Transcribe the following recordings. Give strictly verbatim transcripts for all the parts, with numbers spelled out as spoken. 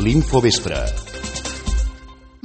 l'Infovespre.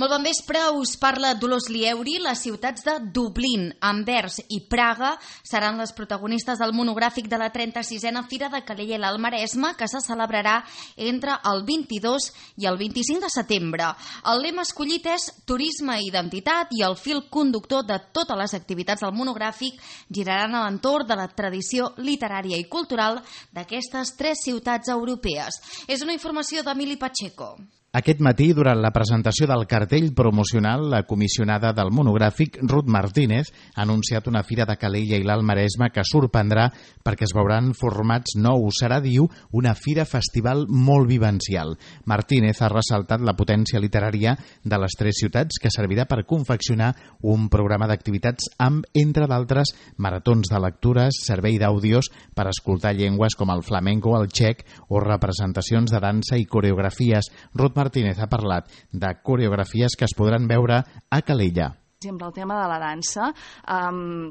Molt bon vespre, us parla Dolors Lieuri. Les ciutats de Dublín, Anvers i Praga seran les protagonistes del monogràfic de la trenta-sisena Fira de Calella i l'Alt Maresme, que se celebrarà entre el vint-i-dos i el vint-i-cinc de setembre. El lema escollit és Turisme i Identitat, i el fil conductor de totes les activitats del monogràfic giraran a l'entorn de la tradició literària i cultural d'aquestes tres ciutats europees. És una informació d'Emili Pacheco. Aquest matí, durant la presentació del cartell promocional, la comissionada del monogràfic, Ruth Martínez, ha anunciat una fira de Calella i l'Alt Maresme que sorprendrà perquè es veuran formats nous. Serà, diu, una fira festival molt vivencial. Martínez ha ressaltat la potència literària de les tres ciutats, que servirà per confeccionar un programa d'activitats amb, entre d'altres, maratons de lectures, servei d'àudios per escoltar llengües com el flamenco, el txec o representacions de dansa i coreografies. Ruth Martínez ha parlat de coreografies que es podran veure a Calella. Per exemple, el tema de la dansa, um,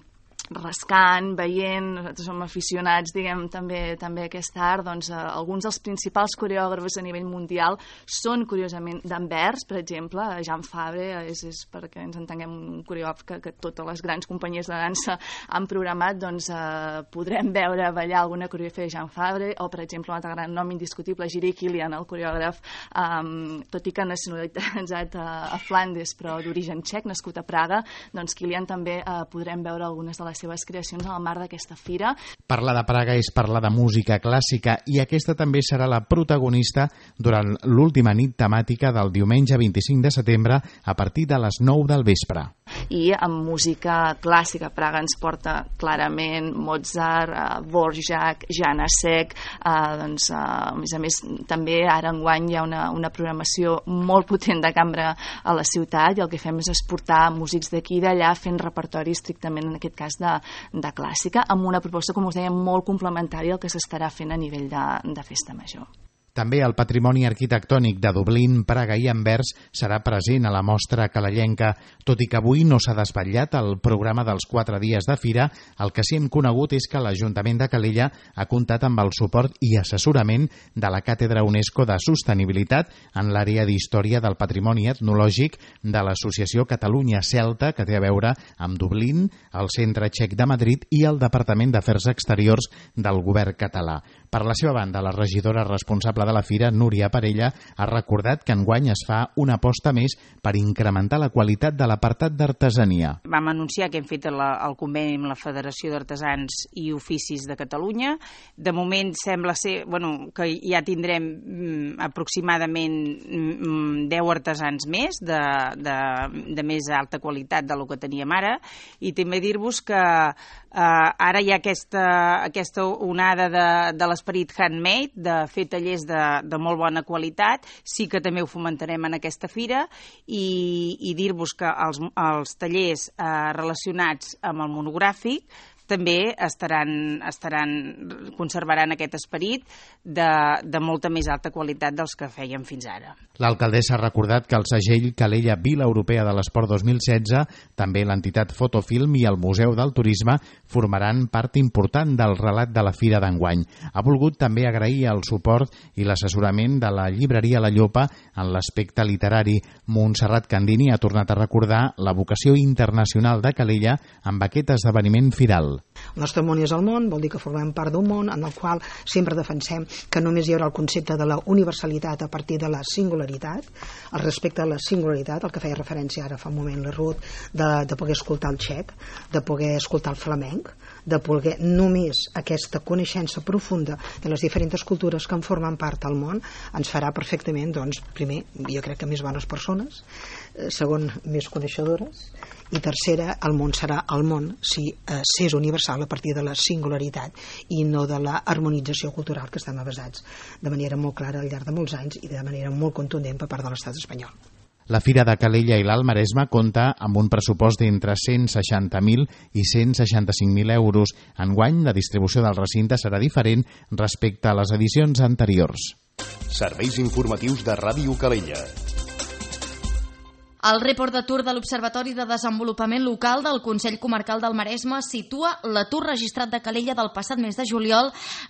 rascant, veient, nosaltres som aficionats, diguem, també també a aquest art, doncs eh, alguns dels principals coreògrafs a nivell mundial són, curiosament, d'Anvers, per exemple, Jean Fabre, és, és perquè ens entenguem un coreògraf que, que totes les grans companyies de dansa han programat, doncs eh, podrem veure ballar alguna coreografia de Jean Fabre, o, per exemple, un altre gran nom indiscutible, Jiri Kilian, el coreògraf, um, tot i que nacionalitzat a, a Flandes, però d'origen txec, nascut a Praga, doncs Kilian també eh, podrem veure algunes de les seves creacions al marc d'aquesta fira. Parlar de Praga és parlar de música clàssica, i aquesta també serà la protagonista durant l'última nit temàtica del diumenge vint-i-cinc de setembre a partir de les nou del vespre. I amb música clàssica, Praga ens porta clarament Mozart, uh, Dvořák, Janáček, uh, doncs, uh, a més a més també ara enguany hi ha una, una programació molt potent de cambra a la ciutat, i el que fem és exportar músics d'aquí i d'allà fent repertori estrictament, en aquest cas, de, de clàssica, amb una proposta, com us deia, molt complementària al que s'estarà fent a nivell de, de festa major. També el patrimoni arquitectònic de Dublín, Praga i Anvers serà present a la mostra calellenca. Tot i que avui no s'ha desvetllat el programa dels quatre dies de fira, el que sí hem conegut és que l'Ajuntament de Calella ha comptat amb el suport i assessorament de la Càtedra UNESCO de Sostenibilitat en l'àrea d'Història del Patrimoni Etnològic de l'Associació Catalunya Celta, que té a veure amb Dublín, el Centre Txec de Madrid i el Departament d'Afers Exteriors del Govern català. Per la seva banda, la regidora responsable de la fira, Núria Parella, ha recordat que enguany es fa una aposta més per incrementar la qualitat de l'apartat d'artesania. Vam anunciar que hem fet el, el conveni amb la Federació d'Artesans i Oficis de Catalunya. De moment sembla ser bueno, que ja tindrem mm, aproximadament mm, deu artesans més de, de, de més alta qualitat del que teníem ara, i també dir-vos que eh, ara hi ha aquesta, aquesta onada de, de l'esperit handmade, de fer tallers de, de molt bona qualitat. Sí que també ho fomentarem en aquesta fira, i, i dir-vos que els, els tallers eh, relacionats amb el monogràfic també estaran, estaran, conservaran aquest esperit de, de molta més alta qualitat dels que fèiem fins ara. L'alcaldessa ha recordat que el segell Calella Vila Europea de l'Esport dos mil setze, també l'entitat Fotofilm i el Museu del Turisme formaran part important del relat de la fira d'enguany. Ha volgut també agrair el suport i l'assessorament de la llibreria La Llopa en l'aspecte literari. Montserrat Candini ha tornat a recordar la vocació internacional de Calella amb aquest esdeveniment firal. El nostre món és el món, vol dir que formem part d'un món en el qual sempre defensem que només hi haurà el concepte de la universalitat a partir de la singularitat, el respecte a la singularitat, el que feia referència ara fa un moment la Ruth, de, de poder escoltar el txec, de poder escoltar el flamenc, de poder només aquesta coneixença profunda de les diferents cultures que en formen part del món ens farà perfectament, doncs, primer, jo crec que més bones persones, segon, més coneixedores, i tercera, el món serà el món si eh, s'és universal a partir de la singularitat i no de la harmonització cultural que estem basats de manera molt clara al llarg de molts anys i de manera molt contundent per part de l'estat espanyol. La Fira de Calella i l'Alt Maresme compta amb un pressupost d'entre cent seixanta mil i cent seixanta-cinc mil euros. Enguany, la distribució del recinte serà diferent respecte a les edicions anteriors. Serveis informatius de Ràdio Calella. El report d'atur de l'Observatori de Desenvolupament Local del Consell Comarcal del Maresme situa l'atur registrat de Calella del passat mes de juliol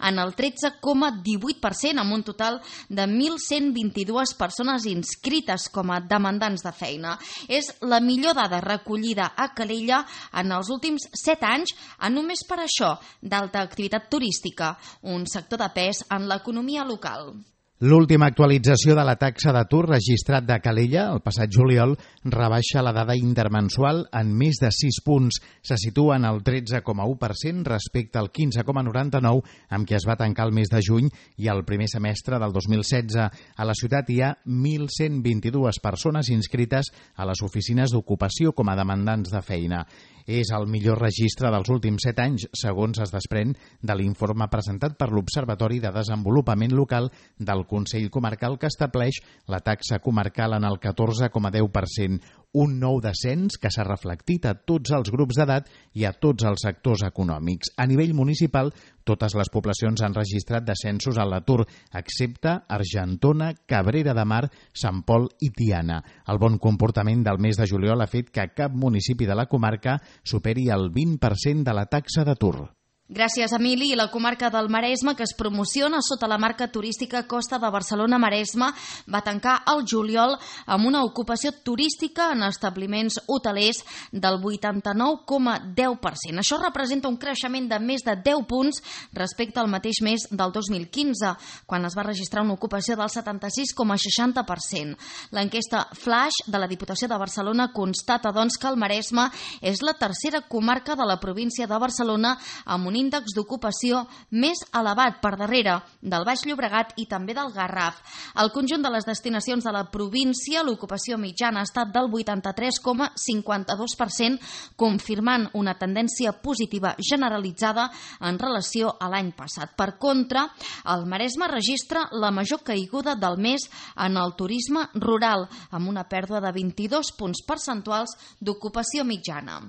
en el tretze coma divuit per cent, amb un total de mil cent vint-i-dues persones inscrites com a demandants de feina. És la millor dada recollida a Calella en els últims set anys, en només per això d'alta activitat turística, un sector de pes en l'economia local. L'última actualització de la taxa d'atur registrat de Calella, el passat juliol, rebaixa la dada intermensual en més de sis punts. Se situa en el tretze coma u per cent respecte al quinze coma noranta-nou amb què es va tancar el mes de juny i el primer semestre del dos mil setze. A la ciutat hi ha mil cent vint-i-dues persones inscrites a les oficines d'ocupació com a demandants de feina. És el millor registre dels últims set anys, segons es desprèn de l'informe presentat per l'Observatori de Desenvolupament Local del Consell Comarcal, que estableix la taxa comarcal en el catorze coma deu per cent, un nou descens que s'ha reflectit a tots els grups d'edat i a tots els sectors econòmics. A nivell municipal, totes les poblacions han registrat descensos a l'atur, excepte Argentona, Cabrera de Mar, Sant Pol i Tiana. El bon comportament del mes de juliol ha fet que cap municipi de la comarca superi el vint per cent de la taxa d'atur. Gràcies, Emili. I la comarca del Maresme, que es promociona sota la marca turística Costa de Barcelona-Maresme, va tancar el juliol amb una ocupació turística en establiments hotelers del vuitanta-nou coma deu per cent. Això representa un creixement de més de deu punts respecte al mateix mes del dos mil quinze, quan es va registrar una ocupació del setanta-sis coma seixanta per cent. L'enquesta Flash de la Diputació de Barcelona constata, doncs, que el Maresme és la tercera comarca de la província de Barcelona amb un índex d'ocupació més elevat, per darrere del Baix Llobregat i també del Garraf. Al conjunt de les destinacions de la província, l'ocupació mitjana ha estat del vuitanta-tres coma cinquanta-dos per cent, confirmant una tendència positiva generalitzada en relació a l'any passat. Per contra, el Maresme registra la major caiguda del mes en el turisme rural, amb una pèrdua de vint-i-dos punts percentuals d'ocupació mitjana.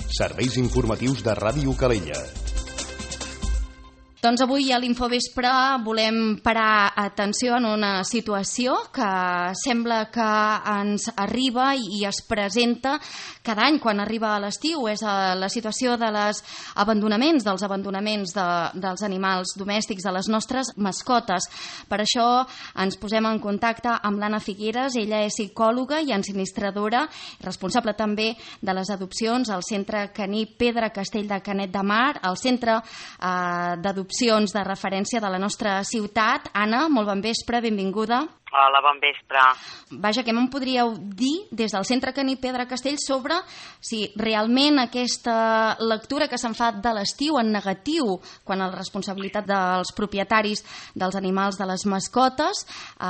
Serveis informatius de Ràdio Calella. Doncs avui a l'Infovespre volem parar atenció en una situació que sembla que ens arriba i es presenta cada any quan arriba a l'estiu. És la situació de les abandonaments, dels abandonaments de, dels animals domèstics, de les nostres mascotes. Per això ens posem en contacte amb l'Anna Figueres. Ella és psicòloga i ensinistradora, responsable també de les adopcions al Centre Caní Pedra Castell de Canet de Mar, al Centre eh, d'Adopció de referència de la nostra ciutat. Anna, molt bon vespre, benvinguda. Hola, bon vespre. Vaja, què me'n podríeu dir des del Centre Caní Pedra Castell sobre si realment aquesta lectura que se'n fa de l'estiu en negatiu, quan la responsabilitat dels propietaris dels animals, de les mascotes, eh,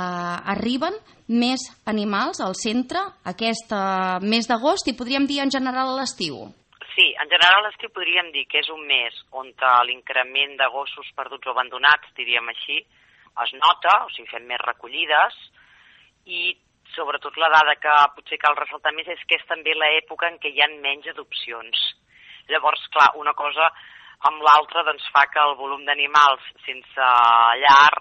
arriben més animals al centre aquest eh, mes d'agost i podríem dir en general a l'estiu? Sí, en general l'estiu podríem dir que és un mes on l'increment de gossos perduts o abandonats, diríem així, es nota, o sigui, fem més recollides, i sobretot la dada que potser cal ressaltar més és que és també l'època en què hi ha menys adopcions. Llavors, clar, una cosa amb l'altra doncs, fa que el volum d'animals sense llar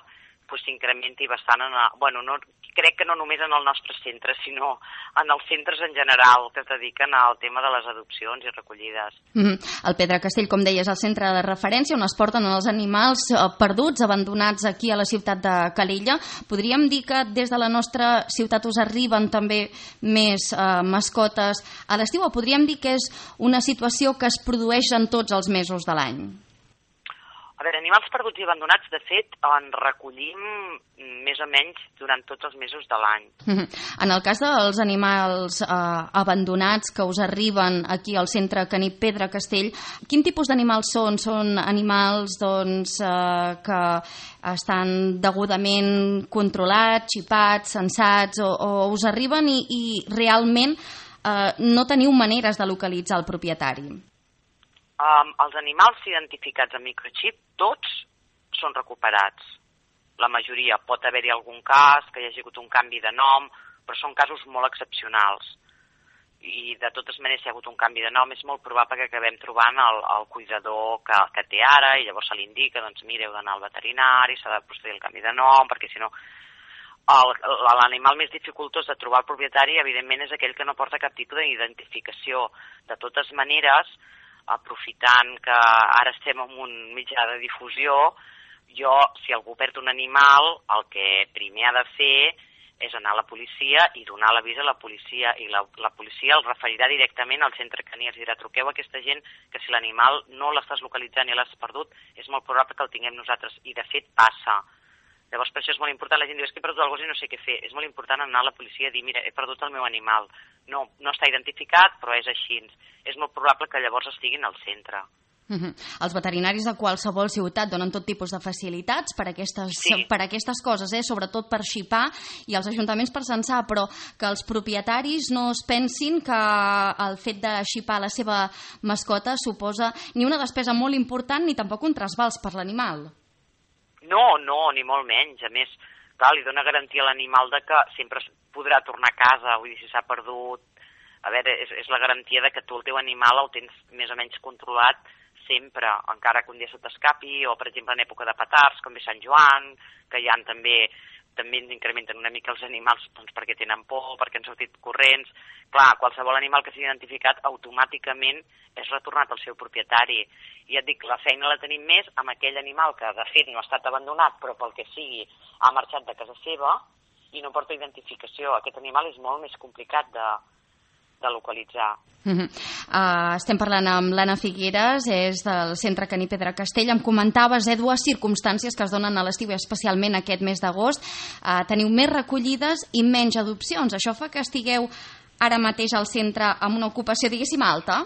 pues, s'incrementi bastant. En el, bueno, no, crec que no només en el nostre centre, sinó en els centres en general que es dediquen al tema de les adopcions i recollides. Mm-hmm. El Pedra Castell, com deies, és el centre de referència on es porten els animals perduts, abandonats aquí a la ciutat de Calella. Podríem dir que des de la nostra ciutat us arriben també més eh, mascotes a l'estiu, o podríem dir que és una situació que es produeix en tots els mesos de l'any? A veure, animals perduts i abandonats, de fet, en recollim més o menys durant tots els mesos de l'any. En el cas dels animals eh, abandonats que us arriben aquí al Centre Caní Pedra Castell, quin tipus d'animals són? Són animals doncs, eh, que estan degudament controlats, xipats, censats, o, o us arriben i, i realment eh, no teniu maneres de localitzar el propietari? Um, els animals identificats amb microxip, tots són recuperats. La majoria. Pot haver-hi algun cas que hi hagi hagut un canvi de nom, però són casos molt excepcionals. I de totes maneres, si hi ha hagut un canvi de nom, és molt probable que acabem trobant el, el cuidador que, que té ara, i llavors se li indica, doncs mira, heu d'anar al veterinari, s'ha de procedir al canvi de nom, perquè si no l'animal més dificultós de trobar el propietari, evidentment, és aquell que no porta cap tipus d'identificació. De totes maneres, aprofitant que ara estem en un mitjà de difusió, jo, si algú perd un animal, el que primer ha de fer és anar a la policia i donar l'avís a la policia, i la, la policia el referirà directament al centre caní, els dirà, truqueu a aquesta gent que si l'animal no l'estàs localitzant i l'has perdut, és molt probable que el tinguem nosaltres, i de fet passa. Llavors per això és molt important, la gent diu, és que he perdut el gos i no sé què fer, és molt important anar a la policia i dir, mira, he perdut el meu animal, no, no està identificat, però és així, és molt probable que llavors estiguin al centre. Uh-huh. Els veterinaris de qualsevol ciutat donen tot tipus de facilitats per aquestes, sí. per aquestes coses, eh? Sobretot per xipar, i els ajuntaments per censar, però que els propietaris no es pensin que el fet de xipar la seva mascota suposa ni una despesa molt important ni tampoc un trasbals per l'animal. No, no, ni molt menys. A més, clar, li dona garantia a l'animal de que sempre podrà tornar a casa, vull dir, si s'ha perdut. A veure, és, és la garantia de que tu el teu animal el tens més o menys controlat sempre, encara que un dia se t'escapi, o per exemple en època de petards, com ve Sant Joan, que hi ha també, també ens incrementen una mica els animals doncs, perquè tenen por, perquè han sortit corrents. Clar, qualsevol animal que sigui identificat automàticament és retornat al seu propietari. I ja et dic, la feina la tenim més amb aquell animal que de fet no ha estat abandonat, però pel que sigui ha marxat de casa seva i no porta identificació. Aquest animal és molt més complicat de, de localitzar. Uh-huh. Uh, estem parlant amb l'Anna Figueres, és del Centre Caní Pedra Castell. Em comentaves, eh, dues circumstàncies que es donen a l'estiu, especialment aquest mes d'agost. Uh, teniu més recollides i menys adopcions. Això fa que estigueu ara mateix al centre amb una ocupació, diguéssim, alta?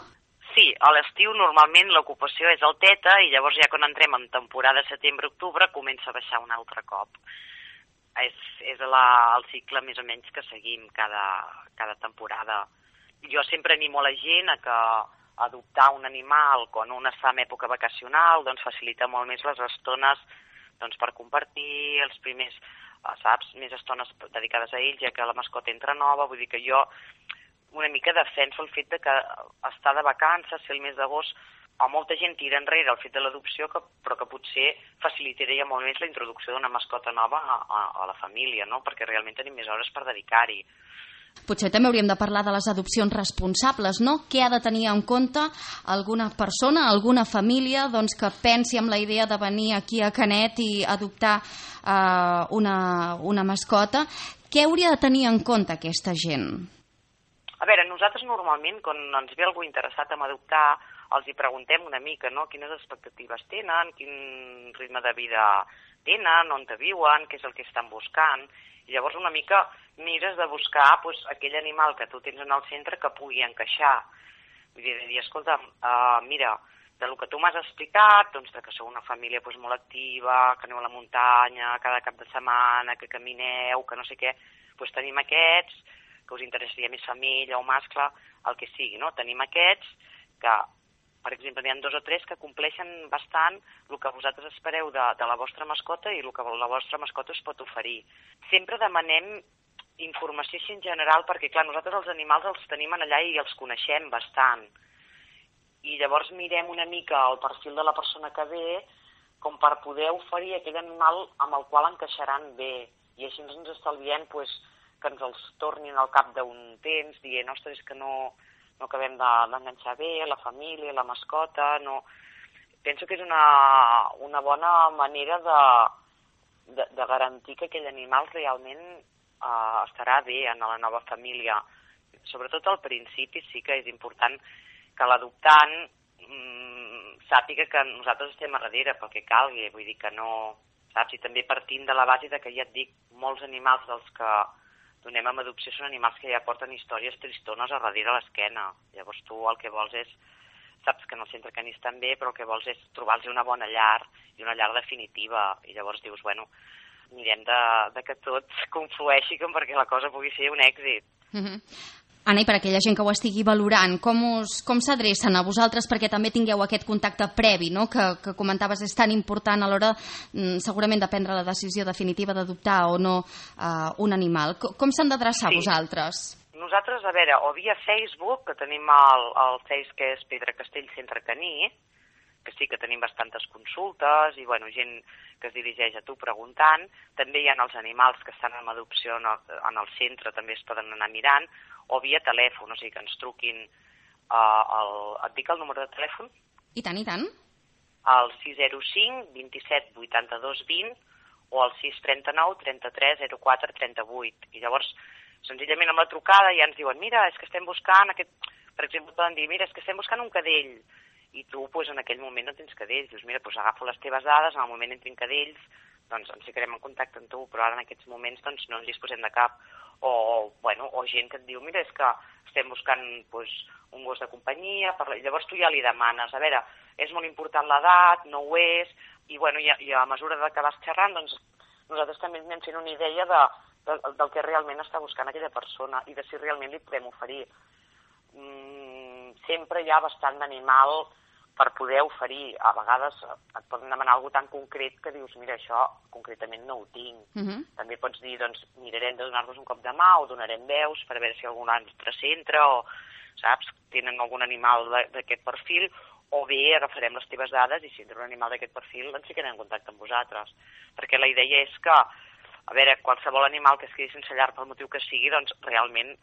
Sí, a l'estiu normalment l'ocupació és alteta i llavors ja quan entrem en temporada setembre-octubre comença a baixar un altre cop. És, és la, el cicle més o menys que seguim cada, cada temporada. Jo sempre animo la gent a que adoptar un animal quan un està en època vacacional doncs facilita molt més les estones doncs, per compartir els primers, saps, més estones dedicades a ells, ja que la mascota entra nova. Vull dir que jo una mica defenso el fet de que estar de vacances, ser el mes d'agost, a molta gent tira enrere el fet de l'adopció, però que potser facilitaria molt més la introducció d'una mascota nova a, a, a la família, no? Perquè realment tenim més hores per dedicar-hi. Potser també hauríem de parlar de les adopcions responsables, no? Què ha de tenir en compte alguna persona, alguna família doncs, que pensi en la idea de venir aquí a Canet i adoptar eh, una, una mascota? Què hauria de tenir en compte aquesta gent? A veure, nosaltres normalment, quan ens ve algú interessat en adoptar, els hi preguntem una mica, no? Quines expectatives tenen, quin ritme de vida tenen, on te viuen, què és el que estan buscant. I llavors una mica mires de buscar pues, aquell animal que tu tens en el centre que pugui encaixar. Vull dir, de dir, escolta, uh, mira, de lo que tu m'has explicat, doncs, de que sou una família pues, molt activa, que aneu a la muntanya cada cap de setmana, que camineu, que no sé què, doncs tenim aquests, que us interessaria més femella o mascle, el que sigui, no? Tenim aquests que, per exemple, n'hi ha dos o tres que compleixen bastant el que vosaltres espereu de, de la vostra mascota i el que la vostra mascota us pot oferir. Sempre demanem informació així en general perquè, clar, nosaltres els animals els tenim allà i els coneixem bastant. I llavors mirem una mica el perfil de la persona que ve com per poder oferir aquell animal amb el qual encaixaran bé. I així ens estalviem pues, que ens els tornin al cap d'un temps dient, ostres, que no... no acabem d'enganxar bé, la família, la mascota, no... Penso que és una, una bona manera de, de, de garantir que aquell animal realment eh, estarà bé en la nova família. Sobretot al principi sí que és important que l'adoptant mmm, sàpiga que nosaltres estem a darrere pel que calgui, vull dir que no... Saps? I també partint de la base de que ja et dic, molts animals dels que donem amb adopció són animals que ja porten històries tristones a darrere l'esquena. Llavors tu el que vols és, saps que en el centre caní estan bé, però el que vols és trobar-los una bona llar i una llar definitiva. I llavors dius, bueno, mirem de, de que tot conflueixi com perquè la cosa pugui ser un èxit. Mm-hmm. Anna, i per aquella gent que ho estigui valorant, com, us, com s'adrecen a vosaltres perquè també tingueu aquest contacte previ, no? que, que comentaves és tan important a l'hora mm, segurament de prendre la decisió definitiva d'adoptar o no uh, un animal. Com, com s'han d'adreçar sí. vosaltres? Nosaltres, a veure, o via Facebook, que tenim el, el Face que és Pedra Castell Centre Caní, que sí que tenim bastantes consultes i bueno, gent que es dirigeix a tu preguntant. També hi ha els animals que estan en adopció en el, en el centre, també es poden anar mirant, o via telèfon, o sigui que ens truquin, uh, el, et dic el número de telèfon? I tant, i tant. El sis zero cinc, vint-i-set, vuitanta-dos, vint o el sis trenta-nou, trenta-tres, zero quatre, trenta-vuit. I llavors, senzillament amb la trucada ja ens diuen, mira, és que estem buscant aquest... Per exemple, poden dir, mira, és que estem buscant un cadell. I tu, doncs, en aquell moment no tens cadells. Dius, mira, doncs agafo les teves dades, en el moment en tinc cadells, doncs ens ficarem en contacte amb tu, però ara en aquests moments doncs, no ens disposem de cap. O, bueno, o gent que et diu, mira, és que estem buscant doncs, un gos de companyia, per... llavors tu ja li demanes, a veure, és molt important l'edat, no ho és, i, bueno, i, a, i a mesura que vas xerrant, doncs nosaltres també anem fent una idea de, de, del que realment està buscant aquella persona i de si realment li podem oferir. Mm, sempre hi ha bastant d'animal per poder oferir. A vegades et poden demanar alguna tan concret que dius, mira, això concretament no ho tinc. Uh-huh. També pots dir, doncs, mirarem de donar-vos un cop de mà o donarem veus per veure si algun altre centre o, saps, tenen algun animal d'aquest perfil, o bé agafarem les teves dades i si tenen un animal d'aquest perfil ens ficarem en contacte amb vosaltres. Perquè la idea és que, a veure, qualsevol animal que es quedi sense llar pel motiu que sigui, doncs realment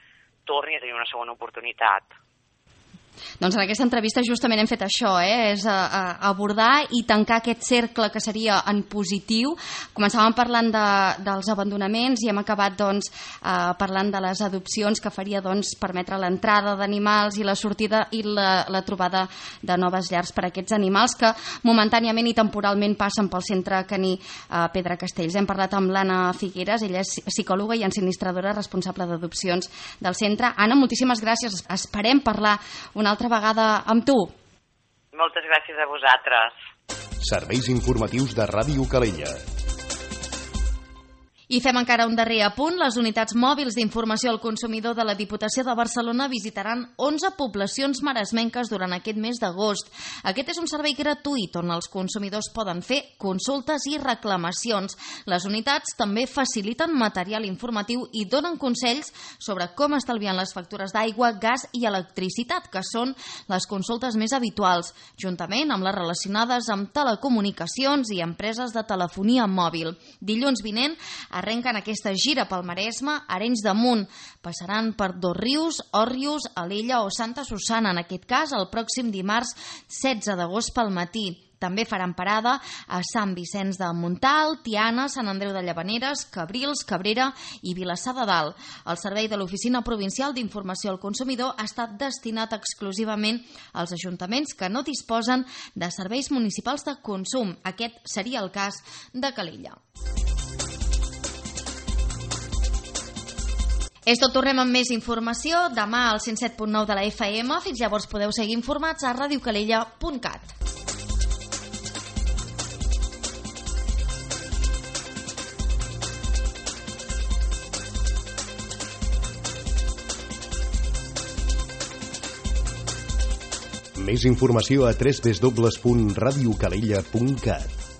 torni a tenir una segona oportunitat. Doncs en aquesta entrevista justament hem fet això, eh? és a, a abordar i tancar aquest cercle que seria en positiu. Començàvem parlant de, dels abandonaments i hem acabat doncs, eh, parlant de les adopcions que faria doncs, permetre l'entrada d'animals i la sortida i la, la trobada de noves llars per a aquests animals que momentàniament i temporalment passen pel centre caní eh, Pedra Castells. Hem parlat amb l'Anna Figueres, ella és psicòloga i ensinistradora responsable d'adopcions del centre. Anna, moltíssimes gràcies. Esperem parlar una altra vegada amb tu. Moltes gràcies a vosaltres. Serveis informatius de Ràdio Calella. I fem encara un darrer apunt. Les unitats mòbils d'informació al consumidor de la Diputació de Barcelona visitaran onze poblacions maresmenques durant aquest mes d'agost. Aquest és un servei gratuït on els consumidors poden fer consultes i reclamacions. Les unitats també faciliten material informatiu i donen consells sobre com estalviar les factures d'aigua, gas i electricitat, que són les consultes més habituals, juntament amb les relacionades amb telecomunicacions i empreses de telefonia mòbil. Dilluns vinent arrenquen aquesta gira pel Maresme, Arenys de Munt. Passaran per Dosrius, Òrrius, Alella o Santa Susana, en aquest cas el pròxim dimarts setze d'agost pel matí. També faran parada a Sant Vicenç de Montalt, Tiana, Sant Andreu de Llavaneres, Cabrils, Cabrera i Vilassar de Dalt. El servei de l'Oficina Provincial d'Informació al Consumidor ha estat destinat exclusivament als ajuntaments que no disposen de serveis municipals de consum. Aquest seria el cas de Calella. És tot, tornem amb més informació demà al cent set punt nou de la F M. Fins llavors podeu seguir informats a radiocalella punt cat. Més informació a w w w punt radiocalella punt cat.